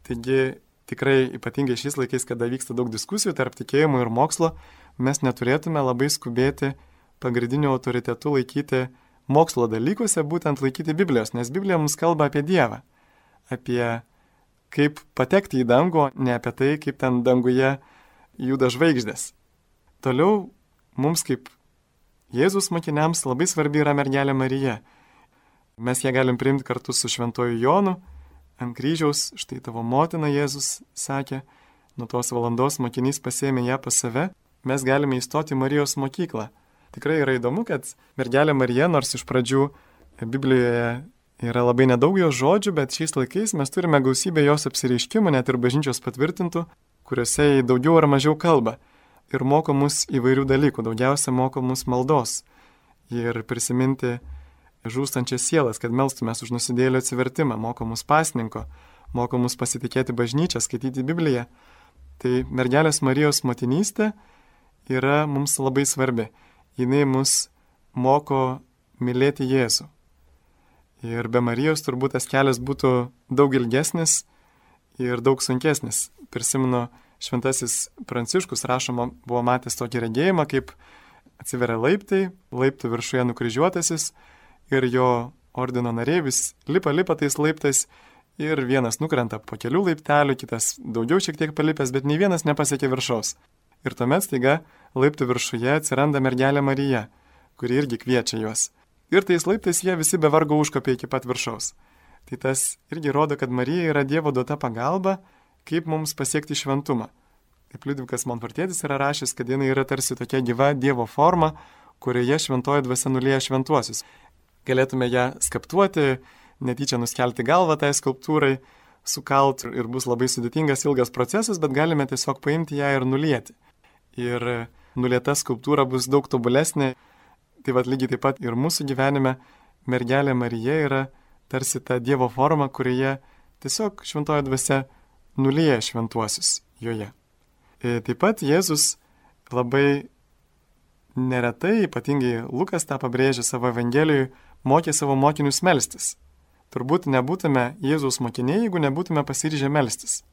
Taigi tikrai ypatingai šiais laikais, kada vyksta daug diskusijų tarp tikėjimo ir mokslo, mes neturėtume labai skubėti pagrindiniu autoritetu laikyti mokslo dalykuose, būtent laikyti Biblijos, nes Biblija mums kalba apie Dievą, apie kaip patekti į dangų, ne apie tai, kaip ten danguje juda žvaigždės. Toliau mums kaip Jėzus mokiniams labai svarbi yra mergelė Marija. Mes ją galim priimti kartu su šventoju Jonu ant kryžiaus, štai tavo motina Jėzus sakė, nuo tos valandos mokinys pasėmė ją pas save, mes galime įstoti į Marijos mokyklą. Tikrai yra įdomu, kad mergelė Marija, nors iš pradžių Biblijoje yra labai nedaug jos žodžių, bet šiais laikais mes turime gausybę jos apsireiškimų, net ir bažnyčios patvirtintų, kuriuose jį daugiau ar mažiau kalba ir moko mus įvairių dalykų, daugiausia moko mus maldos ir prisiminti žūstančias sielas, kad melstumės už nusidėjėlio atsivertimą, moko mus pasninko, moko mus pasitikėti bažnyčią, skaityti Bibliją. Tai mergelės Marijos motinystė yra mums labai svarbi. Jinai mus moko mylėti Jėzų. Ir be Marijos turbūt tas kelias būtų daug ilgesnis ir daug sunkesnis. Prisimenu, šventasis Pranciškus rašoma buvo matęs tokį regėjimą, kaip atsiveria laiptai, laiptų viršuje nukryžiuotasis ir jo ordino nariai vis lipa, lipa tais laiptais ir vienas nukrenta po kelių laiptelių, kitas daugiau šiek tiek palipęs, bet nei vienas nepasiekė viršaus. Ir tuomet staiga laiptų viršuje atsiranda mergelė Marija, kuri irgi kviečia juos. Ir tais laiptais jie visi be vargo užkopė iki pat viršaus. Tai tas irgi rodo, kad Marija yra Dievo duota pagalba, kaip mums pasiekti šventumą. Kaip Liudvikas Montfortietis yra rašęs, kad jinai yra tarsi tokia gyva Dievo forma, kurioje šventoji dvasia nulieja šventuosius. Galėtume ją skaptuoti, netyčia nuskelti galvą tai skulptūrai, sukalt ir bus labai sudėtingas ilgas procesas, bet galime tiesiog paimti ją ir nulieti. Ir nulieta skulptūra bus daug tobulesnė. Tai vad lygiai taip pat ir mūsų gyvenime mergelė Marija yra tarsi ta Dievo forma, kurioje tiesiog šventoji dvasia nulieja šventuosius joje. Ir taip pat Jėzus labai neretai, ypatingai Lukas tą pabrėžė savo Evangelijoje, mokė savo mokinius melstis. Turbūt nebūtume Jėzaus mokiniai, jeigu nebūtume pasiryžę melstis.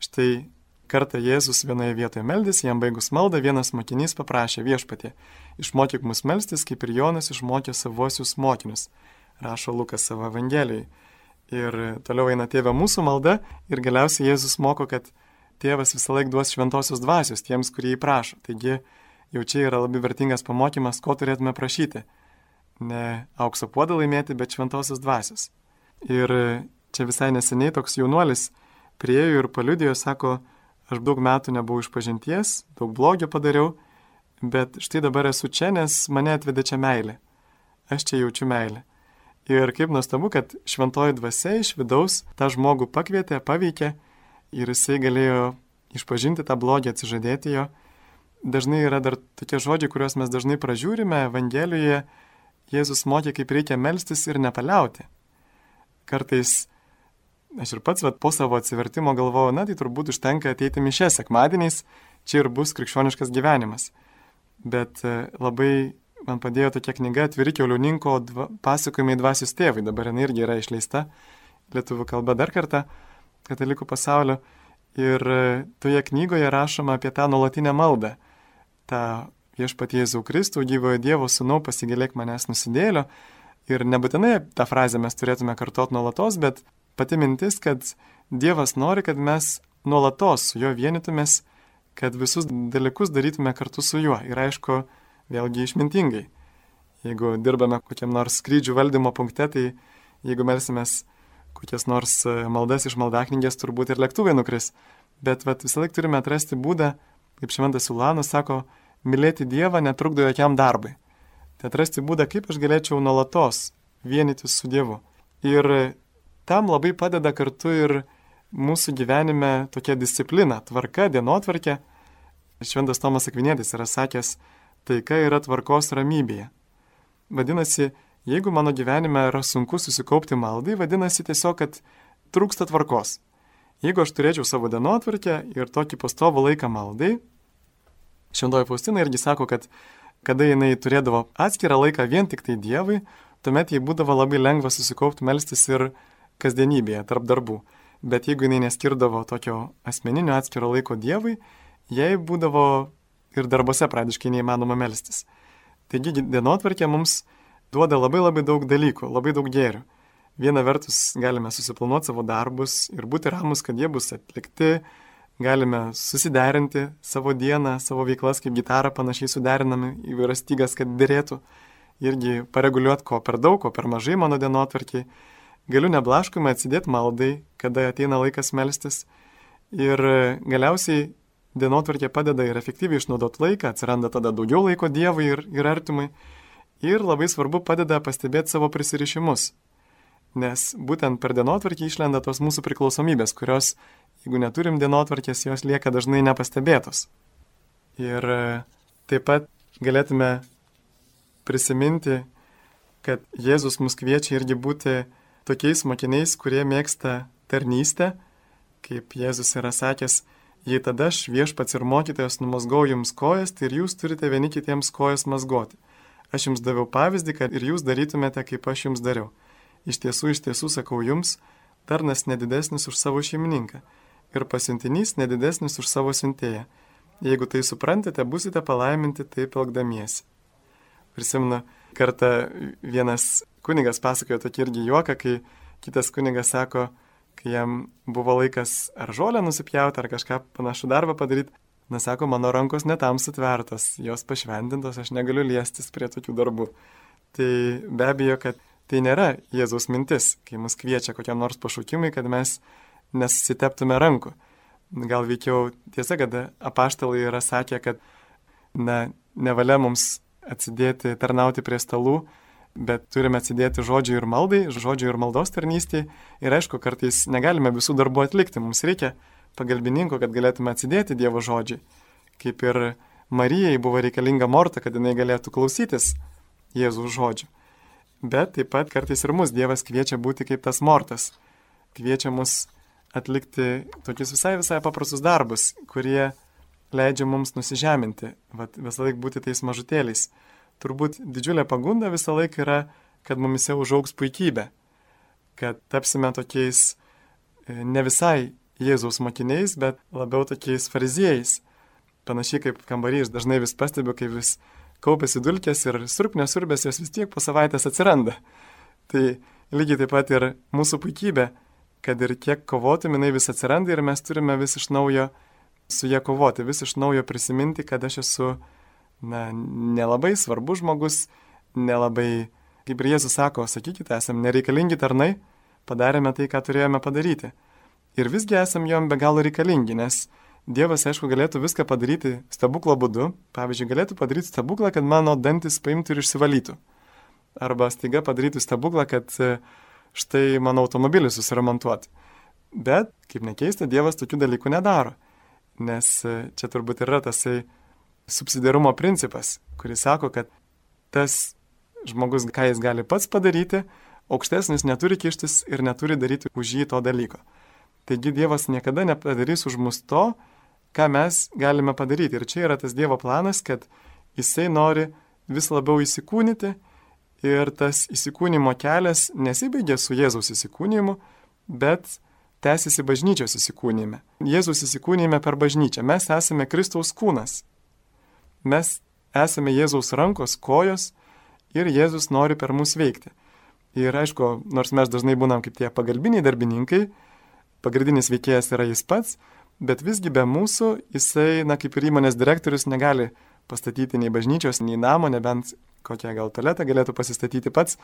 Štai kartą Jėzus vienoje vietoje meldėsi, jam baigus maldą, vienas mokinys paprašė viešpatie, išmokyk mus melstis, kaip ir Jonas išmokė savuosius mokinius, rašo Lukas savo Evangelijoje. Ir toliau eina Tėve mūsų malda ir galiausiai Jėzus moko, kad Tėvas visą laiką duos šventosios dvasios tiems, kurie jį prašo. Taigi jau čia yra labai vertingas pamokymas, ko turėtume prašyti. Ne aukso puodą laimėti, bet šventosios dvasios. Ir čia visai neseniai toks jaunuolis priėjo ir paliudijo, sako, aš daug metų nebuvau išpažinties, daug blogio padariau, bet štai dabar esu čia, nes mane atvedė čia meilė. Aš čia jaučiu meilę. Ir kaip nuostabu, kad šventoji dvasia iš vidaus tą žmogų pakvietė, paveikė ir jisai galėjo išpažinti tą blogį, atsižadėti jo. Dažnai yra dar tokie žodžiai, kuriuos mes dažnai pražiūrime Evangelijoje. Jėzus mokė, kaip reikia melstis ir nepaliauti. Kartais aš ir pats vat, po savo atsivertimo galvoju, na tai turbūt užtenka ateiti mišias sekmadieniais, čia ir bus krikščioniškas gyvenimas. Bet labai man padėjo tokia knyga Atviri kiaulininko dva, pasakojimai dvasios tėvai, dabar jinai irgi yra išleista lietuvių kalba dar kartą katalikų pasaulio. Ir toje knygoje rašoma apie tą nuolatinę maldą, tą viešpatie Jėzau Kristų, gyvojo Dievo sūnau, pasigailėk manęs nusidėlio. Ir nebūtinai tą frazę mes turėtume kartot nuolatos, bet pati mintis, kad Dievas nori, kad mes nuolatos su juo vienytumės, kad visus dalykus darytume kartu su juo. Ir aišku, vėlgi išmintingai. Jeigu dirbame kokiam nors skrydžių valdymo punkte, tai jeigu melsimės kokias nors maldas iš maldaknygės, turbūt ir lėktuvai nukris. Bet vat, visą laiką turime atrasti būdą, kaip šventas Ulanas sako, mylėti Dievą netrukdo jokiam darbui. Tai atrasti būdą, kaip aš galėčiau nuolatos vienytis su Dievu. Ir tam labai padeda kartu ir mūsų gyvenime tokia disciplina, tvarka, dienotvarkė. Šventas Tomas Akvinietis yra sakęs, taika yra tvarkos ramybėje. Vadinasi, jeigu mano gyvenime yra sunku susikaupti maldai, vadinasi tiesiog, kad trūksta tvarkos. Jeigu aš turėčiau savo dienotvarkę ir tokį pastovų laiką maldai, Šventoji Faustina irgi sako, kad kada jinai turėdavo atskirą laiką vien tik tai Dievui, tuomet jai būdavo labai lengva susikaupti melstis ir kasdienybėje, tarp darbų. Bet jeigu jinai neskirdavo tokio asmeninio atskiro laiko Dievui, jai būdavo ir darbose praktiškai neįmanoma melstis. Taigi dienotvarkė mums duoda labai labai daug dalykų, labai daug gėrių. Viena vertus galime susiplanuoti savo darbus ir būti ramus, kad jie bus atlikti, galime susiderinti savo dieną, savo veiklas, kaip gitarą panašiai suderinami įvairias stygas, kad dėrėtų. Irgi pareguliuoti, ko per daug, ko per mažai mano dienotvarkiai. Galiu neblaškomai atsidėti maldai, kada ateina laikas melstis. Ir galiausiai dienotvarkė padeda ir efektyviai išnaudoti laiką, atsiranda tada daugiau laiko Dievui ir, ir artimui. Ir labai svarbu padeda pastebėti savo prisirišimus. Nes būtent per dienotvarkį išlenda tos mūsų priklausomybės, kurios, jeigu neturim dienotvarkės, jos lieka dažnai nepastebėtos. Ir taip pat galėtume prisiminti, kad Jėzus mus kviečia irgi būti tokiais mokiniais, kurie mėgsta tarnystę, kaip Jėzus yra sakęs, jei tada aš viešpats ir mokytojas numazgau jums kojas, tai ir jūs turite vieni kitiems kojas mazgoti. Aš jums daviau pavyzdį, kad ir jūs darytumėte, kaip aš jums dariau. Iš tiesų, iš tiesų sakau jums, tarnas nedidesnis už savo šeimininką ir pasiuntinys nedidesnis už savo siuntėją. Jeigu tai suprantate, busite palaiminti taip elgdamiesi. Prisimenu, kartą vienas kunigas pasakojo tokį irgi juoką, kai kitas kunigas sako, kai jam buvo laikas ar žolę nusipjauti, ar kažką panašų darbą padaryti, na sako, mano rankos netam sutvertos, jos pašventintos, aš negaliu liestis prie tokių darbų. Tai be abejo, kad tai nėra Jėzaus mintis, kai mus kviečia kokiam nors pašaukimui, kad mes nesusiteptume rankų. Gal veikiau tiesa, kad apaštalai yra sakę, kad na, nevalia mums atsidėti, tarnauti prie stalų, bet turime atsidėti žodžiui ir maldai, žodžiui ir maldos tarnystėje. Ir aišku, kartais negalime visų darbų atlikti. Mums reikia pagalbininko, kad galėtume atsidėti Dievo žodžiui. Kaip ir Marijai buvo reikalinga Morta, kad jinai galėtų klausytis Jėzaus žodžių. Bet taip pat kartais ir mus Dievas kviečia būti kaip tas Mortas. Kviečia mus atlikti tokius visai visai paprastus darbus, kurie leidžia mums nusižeminti, vat, visą laiką būti tais mažutėliais. Turbūt didžiulė pagunda visą laiką yra, kad mumise užaugs puikybė, kad tapsime tokiais ne visai Jėzaus mokiniais, bet labiau tokiais fariziejais. Panašiai kaip kambarys, dažnai vis pastebiu, kai vis kaupėsi dulkės ir surpnės surbės, jos vis tiek po savaitės atsiranda. Tai lygiai taip pat ir mūsų puikybė, kad ir kiek kovotum, jinai vis atsiranda ir mes turime vis iš naujo su jie kovoti, vis iš naujo prisiminti, kad aš esu na, nelabai svarbus žmogus, nelabai, kaip ir Jėzus sako, sakykite, esam nereikalingi tarnai, padarėme tai, ką turėjome padaryti. Ir visgi esam jom be galo reikalingi, nes Dievas, aišku, galėtų viską padaryti stebuklo būdu. Pavyzdžiui, galėtų padaryti stebuklą, kad mano dantis paimtų ir išsivalytų. Arba staiga padarytų stebuklą, kad štai mano automobilį susiremontuoti. Bet, kaip nekeista, Dievas tokių dalykų nedaro. Nes čia turbūt yra tasai subsidiarumo principas, kuris sako, kad tas žmogus, ką jis gali pats padaryti, aukštesnis neturi kištis ir neturi daryti už jį to dalyko. Taigi Dievas niekada nepadarys už mus to, ką mes galime padaryti. Ir čia yra tas Dievo planas, kad jisai nori vis labiau įsikūnyti ir tas įsikūnymo kelias nesibaigia su Jėzaus įsikūnymu, bet tęsiasi bažnyčios įsikūnyme. Jėzaus įsikūnyme per bažnyčią. Mes esame Kristaus kūnas. Mes esame Jėzaus rankos, kojos ir Jėzus nori per mus veikti. Ir aišku, nors mes dažnai būnam kaip tie pagalbiniai darbininkai, pagrindinis veikėjas yra jis pats, bet visgi be mūsų jisai, na kaip ir įmonės direktorius, negali pastatyti nei bažnyčios, nei namo, nebent kokią gal tualetą galėtų pasistatyti pats,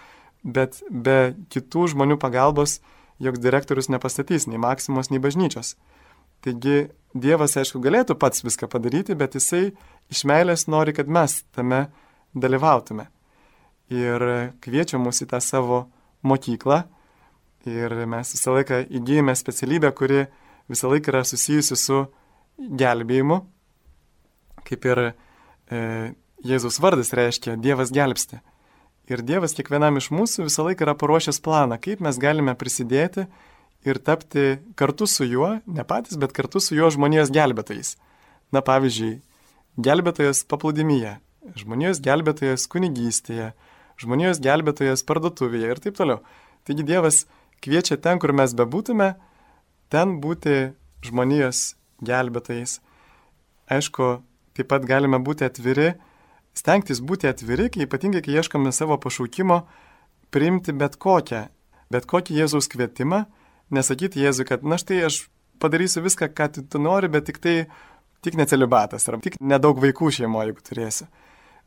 bet be kitų žmonių pagalbos joks direktorius nepastatys nei Maksimos, nei bažnyčios. Taigi Dievas, aišku, galėtų pats viską padaryti, bet jisai iš meilės nori, kad mes tame dalyvautume. Ir kviečia mus į tą savo mokyklą. Ir mes visą laiką įgyjame specialybę, kuri visą laiką yra susijusi su gelbėjimu. Kaip ir e, Jėzaus vardas reiškia Dievas gelbsti. Ir Dievas kiekvienam iš mūsų visą laiką yra paruošęs planą, kaip mes galime prisidėti ir tapti kartu su juo, ne patys, bet kartu su juo žmonijos gelbėtojais. Na pavyzdžiui, gelbėtojas paplūdimyje, žmonijos gelbėtojas kunigystėje, žmonijos gelbėtojas parduotuvėje ir taip toliau. Taigi Dievas kviečia ten, kur mes bebūtume, ten būti žmonijos gelbėtojais. Aišku, taip pat galime būti atviri, stengtis būti atviri, kai ypatingai, kai ieškome savo pašaukimo, priimti bet kokią, bet kokį Jėzaus kvietimą, nesakyti Jėzui, kad na štai aš padarysiu viską, ką tu, tu nori, bet tik tai, tik ne celibatas, ar tik nedaug vaikų šeimoje, jeigu turėsiu.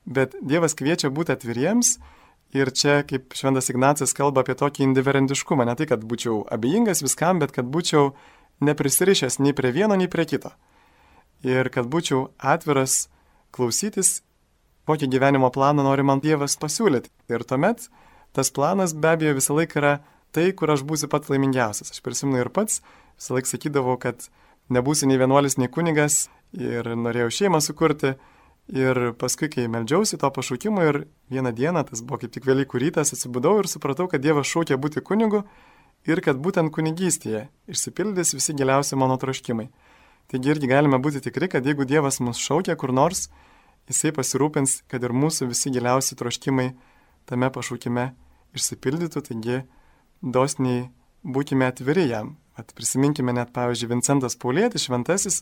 Bet Dievas kviečia būti atviriems ir čia, kaip Šventas Ignacas kalba apie tokį indiferentiškumą, ne tai, kad būčiau abejingas viskam, bet kad būčiau neprisirišęs nei prie vieno, nei prie kito. Ir kad būčiau atviras klausytis, kokį gyvenimo planą nori man Dievas pasiūlyti. Ir tuomet tas planas be abejo visą laiką yra tai, kur aš būsiu pats laimingiausias. Aš prisimenu ir pats, visą laiką sakydavau, kad nebūsiu nei vienuolis, nei kunigas ir norėjau šeimą sukurti. Ir paskui, kai meldžiausi to pašaukimo ir vieną dieną, tas buvo kaip tik Velykų rytas, atsibudau ir supratau, kad Dievas šaukia būti kunigu ir kad būtent kunigystėje išsipildys visi giliausi mano troškimai. Taigi irgi galime būti tikri, kad jeigu Dievas mus šaukia kur nors, Jisai pasirūpins, kad ir mūsų visi giliausi troškimai tame pašaukime išsipildytų, taigi dosniai būkime atviri jam. At prisiminkime net, pavyzdžiui, Vincentas Paulietis, šventasis,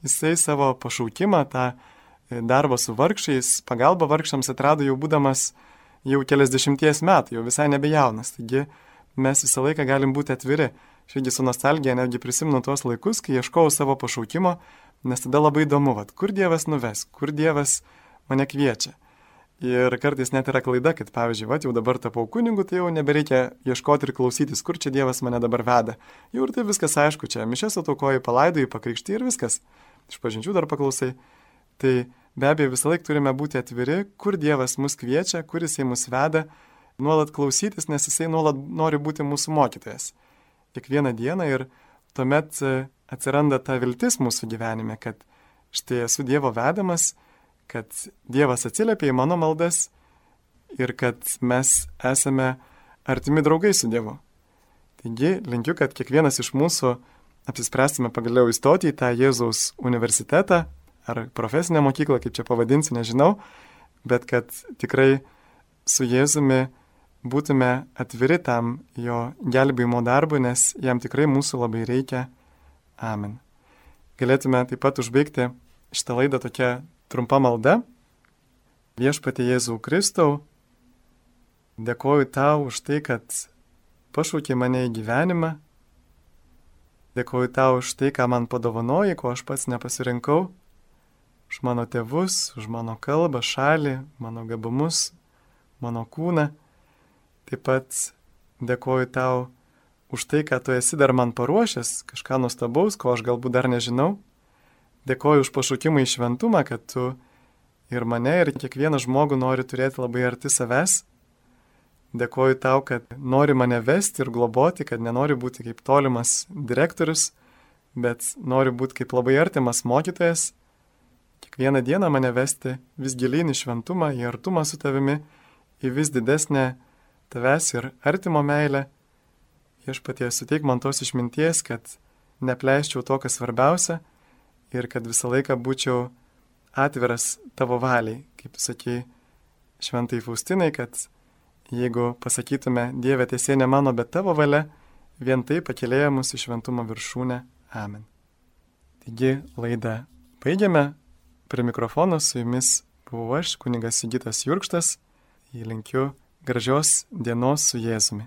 jisai savo pašaukimą, tą darbą su vargšais, pagalbą vargšams atrado jau būdamas jau keliasdešimties metų, jau visai nebejaunas. Taigi mes visą laiką galim būti atviri. Šiaigi su nostalgija netgi prisimenu tuos laikus, kai ieškojau savo pašaukimo, nes tada labai įdomu, vat, kur Dievas nuves, kur Dievas mane kviečia. Ir kartais net yra klaida, kad pavyzdžiui, vat, jau dabar tapau kunigu, tai jau nebereikia ieškoti ir klausytis, kur čia Dievas mane dabar veda. Jau ir tai viskas aišku, čia mišias ataukoji, palaidoji, pakrikšti ir viskas. Iš pažinčių dar paklausai. Tai be abejo visą laiką turime būti atviri, kur Dievas mus kviečia, kur Jisai mus veda, nuolat klausytis, nes Jisai nuolat nori būti mūsų mokytojas. Kiekvieną dieną ir tuomet atsiranda ta viltis mūsų gyvenime, kad štai esu Dievo vedamas, kad Dievas atsiliepia į mano maldas ir kad mes esame artimi draugai su Dievu. Taigi linkiu, kad kiekvienas iš mūsų apsispręstume pagaliau įstoti į tą Jėzaus universitetą, ar profesinę mokyklą, kaip čia pavadinsi, nežinau, bet kad tikrai su Jėzumi būtume atviri tam jo gelbėjimo darbui, nes jam tikrai mūsų labai reikia. Amen. Galėtume taip pat užbaigti šitą laidą tokia trumpa malda. Viešpatie Jėzau Kristau, dėkoju tau už tai, kad pašaukė mane į gyvenimą. Dėkoju tau už tai, ką man padovanoji, ko aš pats nepasirinkau. Už mano tėvus, už mano kalbą, šalį, mano gabumus, mano kūną. Taip pat dėkoju tau už tai, ką tu esi dar man paruošęs, kažką nuostabaus, ko aš galbūt dar nežinau. Dėkoju už pašaukimą į šventumą, kad tu ir mane, ir kiekvieną žmogų nori turėti labai arti savęs. Dėkoju tau, kad nori mane vesti ir globoti, kad nenori būti kaip tolimas direktorius, bet nori būti kaip labai artimas mokytojas. Kiekvieną dieną mane vesti vis gilyn į šventumą, į artumą su tavimi, į vis didesnę tavęs ir artimo meilę. Viešpatie, suteik man tos išminties, kad nepleiščiau to, kas svarbiausia ir kad visą laiką būčiau atviras tavo valiai. Kaip tu sakei šventai Faustinai, kad jeigu pasakytume Dieve teisė ne mano, bet tavo valia, vien tai pakėlėja mus į šventumo viršūnę. Amen. Taigi laidą baigiame. Prie mikrofono su jumis buvau aš, kunigas Sigitas Jurkštas. Linkiu gražios dienos su Jėzumi.